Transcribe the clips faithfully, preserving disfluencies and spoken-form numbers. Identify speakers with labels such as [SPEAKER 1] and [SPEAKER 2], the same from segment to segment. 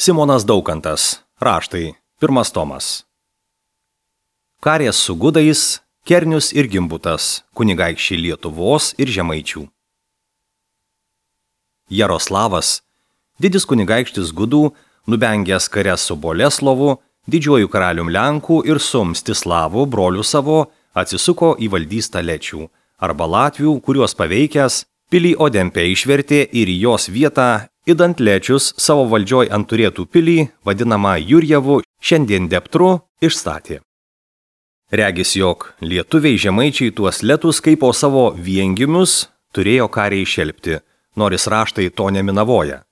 [SPEAKER 1] Simonas Daukantas. Raštai. Pirmas tomas. Karės su gudais, Kernius ir Gimbutas, kunigaikščiai Lietuvos ir Žemaičių. Jaroslavas, didis kunigaikštis gudų, nubengęs kares su Boleslovu, didžiuoju karalium Lenkų ir su Mstislavu, broliu savo, atsisuko į valdystą Lečių, arba Latvių, kuriuos paveikęs, pilį Odempę išvertė ir į jos vietą, idant Lečius savo valdžioj ant turėtų pilį, vadinamą Jurjevu, šiandien Deptru, išstatė. Regis, jog lietuviai žemaičiai tuos letus kaip po savo viengimius turėjo kariai šelpti, nors raštai to neminavoja.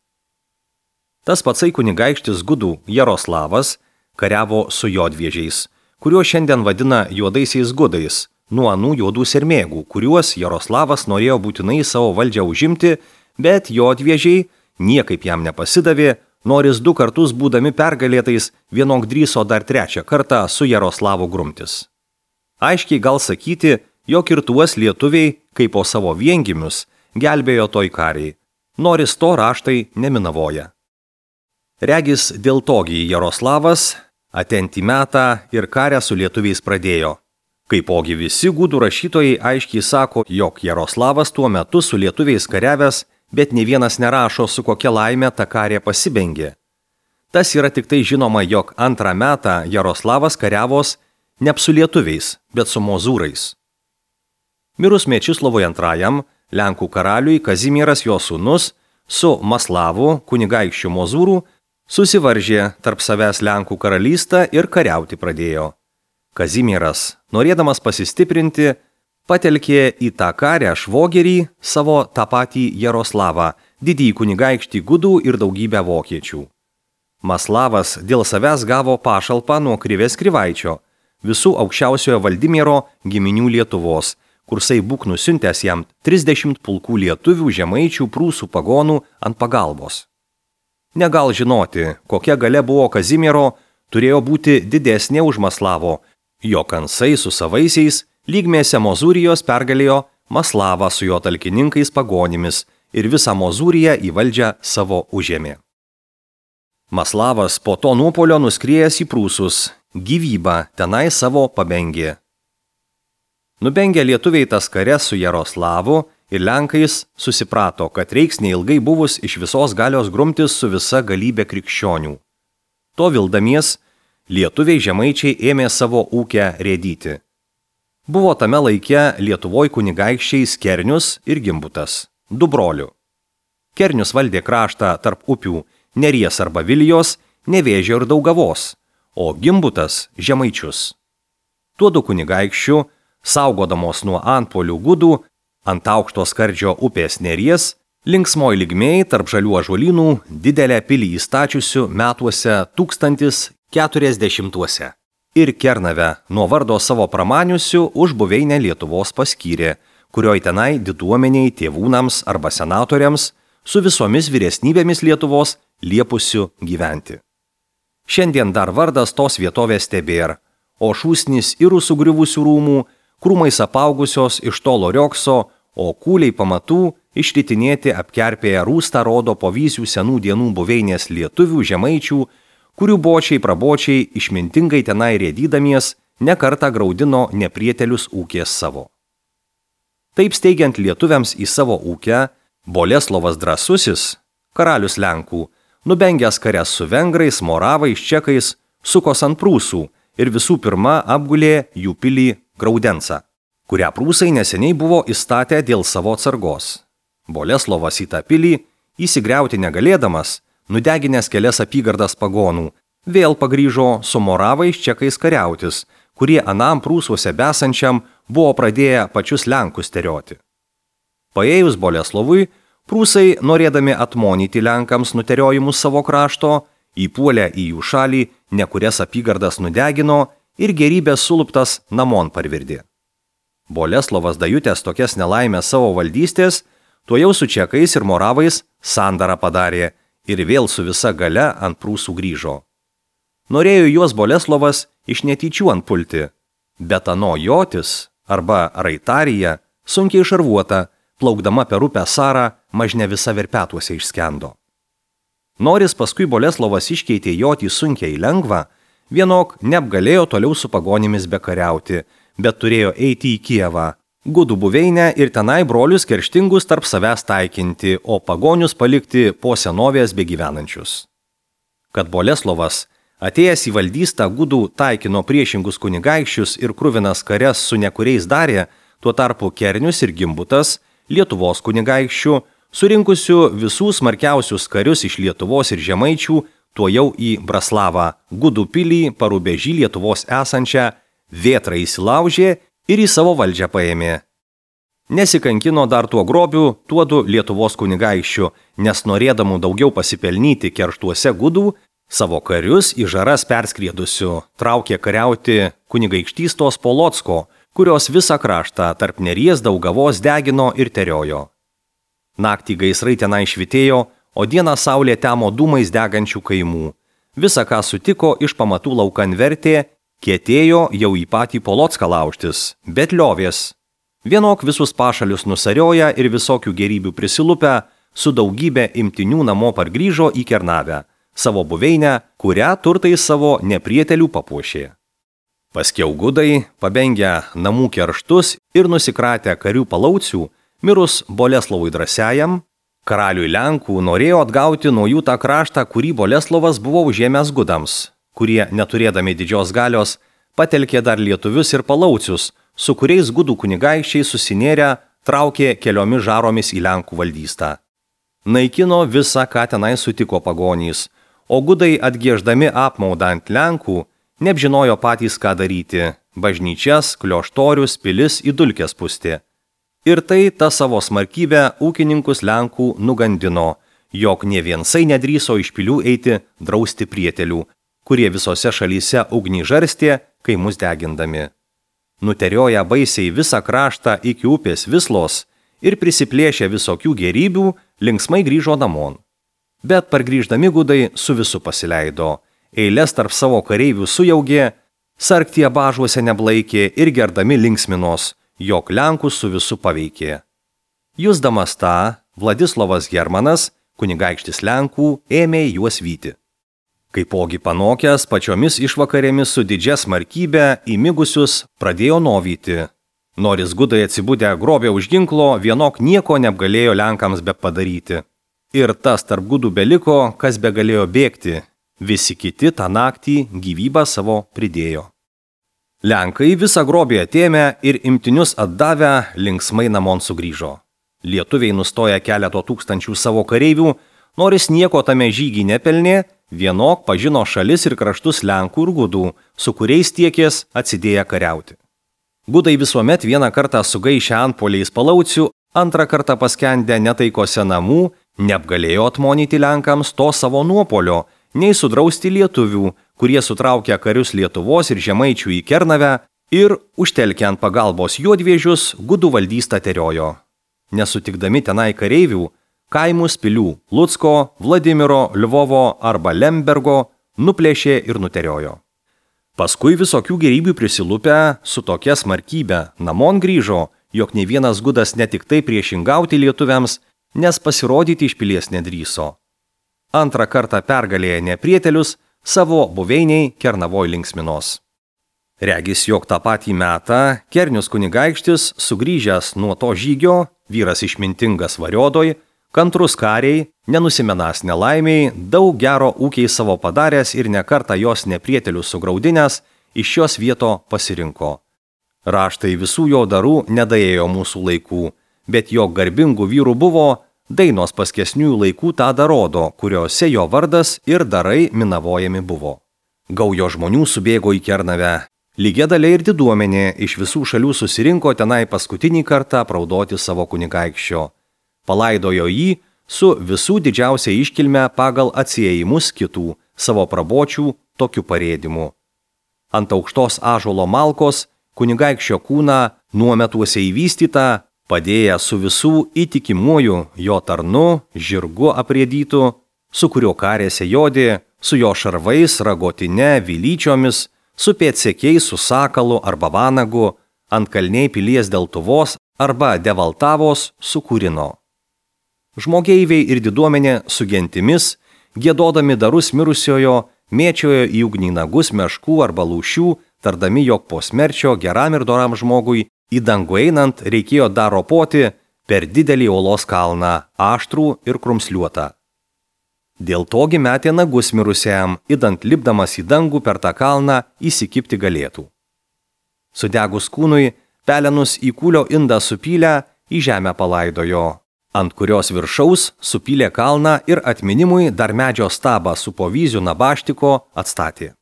[SPEAKER 1] Tas patsai kunigaikštis gudų Jaroslavas kariavo su jodviežiais, kuriuos šiandien vadina juodaisiais gudais, nuo anų juodų sermėgų, kuriuos Jaroslavas norėjo būtinai savo valdžią užimti, bet jodviežiai niekaip jam nepasidavė, noris du kartus būdami pergalėtais vienok drįso dar trečią kartą su Jaroslavu grumtis. Aiškiai gal sakyti, jog ir tuos lietuviai, kaip po savo viengimius, gelbėjo toj kariai, noris to raštai neminavoja. Regis dėl togi Jaroslavas atentį metą ir karę su lietuviais pradėjo. Kaipogi visi gudų rašytojai aiškiai sako, jog Jaroslavas tuo metu su lietuviais kariavęs, bet ne vienas nerašo, su kokia laime ta karė pasibengė. Tas yra tik tai žinoma, jog antrą metą Jaroslavas kariavos ne su lietuviais, bet su mozūrais. Mirus Mečislovui antrajam, Lenkų karaliui Kazimieras jo sūnus su Maslavu, kunigaikščiu mozūrų, susivaržė tarp savęs Lenkų karalystę ir kariauti pradėjo. Kazimieras, norėdamas pasistiprinti, patelkė į tą karę švogerį savo tą patį Jaroslavą, didįjį kunigaikštį gudų ir daugybę vokiečių. Maslavas dėl savęs gavo pašalpą nuo Krivės Krivaičio, visų aukščiausiojo Valdimiero giminių Lietuvos, kursai būk nusiuntęs jam trisdešimt pulkų lietuvių, žemaičių, prūsų pagonų ant pagalbos. Negal žinoti, kokia galia buvo Kazimiero, turėjo būti didesnė už Maslavo, jo kansai su savaisiais lygmėse Mozūrijos pergalėjo Maslavą su jo talkininkais pagonimis ir visą Mozūriją į valdžią savo užėmė. Maslavas po to nuopolio nuskriejęs į Prūsus, gyvybą tenai savo pabengė. Nubengę lietuviai tas kares su Jaroslavu ir Lenkais susiprato, kad reiks neilgai buvus iš visos galios grumtis su visa galybė krikščionių. To vildamies, lietuviai žemaičiai ėmė savo ūkę rėdyti. Buvo tame laike Lietuvoj kunigaikščiais Kernius ir Gimbutas, du brolių. Kernius valdė kraštą tarp upių Neries arba Vilijos, Nevėžio ir Daugavos, o Gimbutas žemaičius. Tuodu kunigaikščių, saugodamos nuo antpolių gudų, ant aukšto skardžio upės Neries, linksmoj lygmėj tarp žalių ąžuolynų didelę pilį įstačiusių metuose tūkstantis keturiasdešimtuose. Ir Kernavę nuo vardo savo pramaniusių už buveinę Lietuvos paskyrė, kurioj tenai diduomeniai tėvūnams arba senatoriams su visomis vyresnybėmis Lietuvos liepusių gyventi. Šiandien dar vardas tos vietovės tebėr, o šūsnis irų sugriuvusių rūmų, krūmais apaugusios iš tolo riokso, o kūliai pamatų išritinėti apkerpėję rūstą rodo po vysių senų dienų buveinės lietuvių žemaičių, kurių bočiai prabočiai išmintingai tenai rėdydamies nekartą graudino neprietelius ūkės savo. Taip steigiant lietuviams į savo ūkę, Boleslovas Drąsusis, karalius Lenkų, nubengęs kares su vengrais, moravais, čekais, sukos ant prūsų ir visų pirma apgulė jų pilį Graudensą, kurią prūsai neseniai buvo įstatę dėl savo atsargos. Boleslovas į tą pilį, įsigriauti negalėdamas, nudeginęs kelias apygardas pagonų, vėl pagrįžo su moravais čekais kariautis, kurie anam prūsuose besančiam buvo pradėję pačius Lenkus terioti. Paėjus Boleslovui, prūsai, norėdami atmonyti Lenkams nuteriojimus savo krašto, įpuolę į jų šalį, nekurias apygardas nudegino ir gerybės suluptas namon parvirdė. Boleslovas dajutęs tokias nelaimės savo valdystės, tuojau su čekais ir moravais sandarą padarė ir vėl su visa galia ant prūsų grįžo. Norėjo juos Boleslovas iš netyčių antpulti, bet ano jotis arba raitarija sunkiai šarvuota, plaukdama per upę Sarą, mažne visa verpetuose išskendo. Noris paskui Boleslovas iškeitė joti sunkiai lengvą, vienok neapgalėjo toliau su pagonimis bekariauti, bet turėjo eiti į Kijevą, Gudų buveinę ir tenai brolius kerštingus tarp savęs taikinti, o pagonius palikti po senovės begyvenančius. Kad Boleslovas, atėjęs į valdystą, Gudų taikino priešingus kunigaikščius ir kruvinas karias su nekuriais darė, tuo tarpu Kernius ir Gimbutas, Lietuvos kunigaikščių, surinkusių visų smarkiausius karius iš Lietuvos ir Žemaičių, tuo jau į Braslavą, Gudų pilį, Parubežį Lietuvos esančią, Vėtrą įsilaužė ir į savo valdžią paėmė. Nesikankino dar tuo grobiu, tuodu Lietuvos kunigaikščių, nes norėdamų daugiau pasipelnyti kerštuose Gudų, savo karius į žaras perskriedusių traukė kariauti kunigaikštystos Polocko, kurios visą kraštą tarp Neries Daugavos degino ir teriojo. Naktį gaisrai tenai švitėjo, o dieną saulė temo dūmais degančių kaimų. Visa, ką sutiko, iš pamatų laukan vertė, kietėjo jau į patį Polocką laužtis, bet liovės. Vienok visus pašalius nusarioja ir visokių gerybių prisilupę, su daugybė imtinių namo pargrįžo į Kernavę, savo buveinę, kurią turtai savo neprietelių papuošė. Paskiau Gudai, pabengę namų kerštus ir nusikratę karių palaucių, mirus Boleslovui Drąsiajam, karaliui Lenkų norėjo atgauti nuo jų tą kraštą, kurį Boleslovas buvo užėmęs Gudams, kurie, neturėdami didžios galios, patelkė dar lietuvius ir palaucius, su kuriais Gudų kunigaikščiai susinėrę traukė keliomis žaromis į Lenkų valdystą. Naikino visą, ką tenai sutiko pagonys, o Gudai atgieždami apmaudą ant Lenkų, neapžinojo patys ką daryti, bažnyčias, klioštorius, pilis į dulkes pūsti. Ir tai ta savo smarkybę ūkininkus Lenkų nugandino, jog ne viensai nedrįso iš pilių eiti drausti prietelių, kurie visose šalyse ugnį žarstė, kaimus degindami. Nuterioja baisiai visą kraštą iki upės Vislos ir prisiplėšė visokių gerybių, linksmai grįžo namon. Bet pargrįždami Gudai su visu pasileido, eilės tarp savo kareivių sujaugė, sarktie bažuose neblaikė ir gerdami linksminos, jog Lenkus su visu paveikė. Jusdamas tą, Vladislovas Hermanas, kunigaikštis Lenkų, ėmė juos vyti. Kaipogi panokęs pačiomis išvakarėmis su didžia smarkybe įmigusius pradėjo novyti. Noris Gudai atsibudę grobė už ginklo, vienok nieko neapgalėjo Lenkams be padaryti. Ir tas tarp Gudų beliko, kas begalėjo bėgti, visi kiti tą naktį gyvybę savo pridėjo. Lenkai visą grobį atėmę ir imtinius atdavę linksmai namon sugrįžo. Lietuviai nustoja keleto tūkstančių savo kareivių, noris nieko tame žygį nepelnė, vienok pažino šalis ir kraštus Lenkų ir Gudų, su kuriais tiekės atsidėję kariauti. Gudai visuomet vieną kartą sugaišę antpoliais palaucių, antrą kartą paskendę netaikose namų, neapgalėjo atmonyti Lenkams to savo nuopolio, nei sudrausti lietuvių, kurie sutraukia karius Lietuvos ir Žemaičių į Kernavę ir, užtelkę ant pagalbos juodvėžius, Gudų valdystą teriojo. Nesutikdami tenai kareivių, kaimus pilių Lucko, Vladimiro, Lvovo arba Lembergo nuplėšė ir nuteriojo. Paskui visokių gerybių prisilupę su tokia smarkybe namon grįžo, jog ne vienas Gudas ne tik tai priešingauti lietuviams, nes pasirodyti iš pilies nedrįso. Antrą kartą pergalėję neprietelius, savo buveiniai Kernavoj linksminos. Regis, jog tą patį metą Kernius kunigaikštis, sugrįžęs nuo to žygio, vyras išmintingas variodoj, kantrus kariai, nenusimenas nelaimiai, daug gero ūkiai savo padaręs ir nekartą jos neprietelių sugraudinęs, iš šios vieto pasirinko. Raštai visų jo darų nedaėjo mūsų laikų, bet jo garbingų vyrų buvo, dainos paskesnių laikų tą darodo, kuriuose jo vardas ir darai minavojami buvo. Gaujo žmonių subėgo į Kernavę. Lygia dalia ir diduomenė iš visų šalių susirinko tenai paskutinį kartą praudoti savo kunigaikščio. Palaidojo jį su visų didžiausia iškilme pagal atsiėjimus kitų, savo prabočių tokiu parėdimu. Ant aukštos ąžuolo malkos kunigaikščio kūną nuometuose įvystytą, padėję su visų įtikimuoju jo tarnu, žirgu aprėdytu, su kurio karėse jodė, su jo šarvais, ragotine, vilyčiomis, su pėdsekiais, su sakalu arba vanagu, ant kalniai pilies Deltuvos arba Devaltavos sukūrino. Žmogeiviai ir diduomenė su gentimis, Giedodami darus mirusiojo, mėčiojo į ugnį nagus meškų arba lūšių, tardami, jog po smerčio geram ir doram žmogui į dangų einant reikėjo dar ropoti per didelį uolos kalną, aštrų ir krumsliuotą. Dėl togi metė nagus mirusiam, idant lipdamas į dangų per tą kalną įsikibti galėtų. Sudegus kūnui, pelenus į kūlio indą supylę, į žemę palaidojo, ant kurios viršaus supylė kalną ir atminimui dar medžio stabą su povyzių nabaštiko atstatė.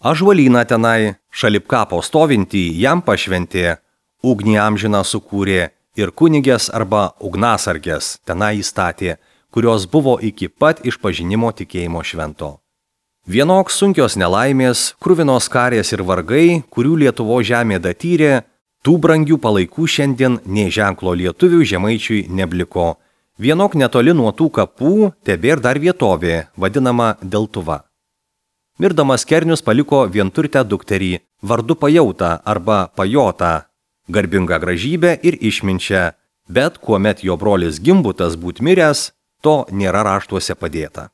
[SPEAKER 1] Ažuolyną tenai, šalip kapo stovintį, jam pašventė, ugnį amžiną sukūrė ir kunigės arba ugnasargės tenai įstatė, kurios buvo iki pat išpažinimo tikėjimo švento. Vienok sunkios nelaimės, kruvinos karės ir vargai, kurių Lietuvo žemė datyrė, tų brangių palaikų šiandien nė ženklo lietuvių žemaičiui nebliko. Vienok netoli nuo tų kapų tebėr dar vietovė, vadinama Deltuva. Mirdamas Kernius paliko vienturtę dukterį, vardu Pajautą arba Pajotą, garbingą gražybę ir išminčią, bet kuomet jo brolis Gimbutas būt miręs, to nėra raštuose padėta.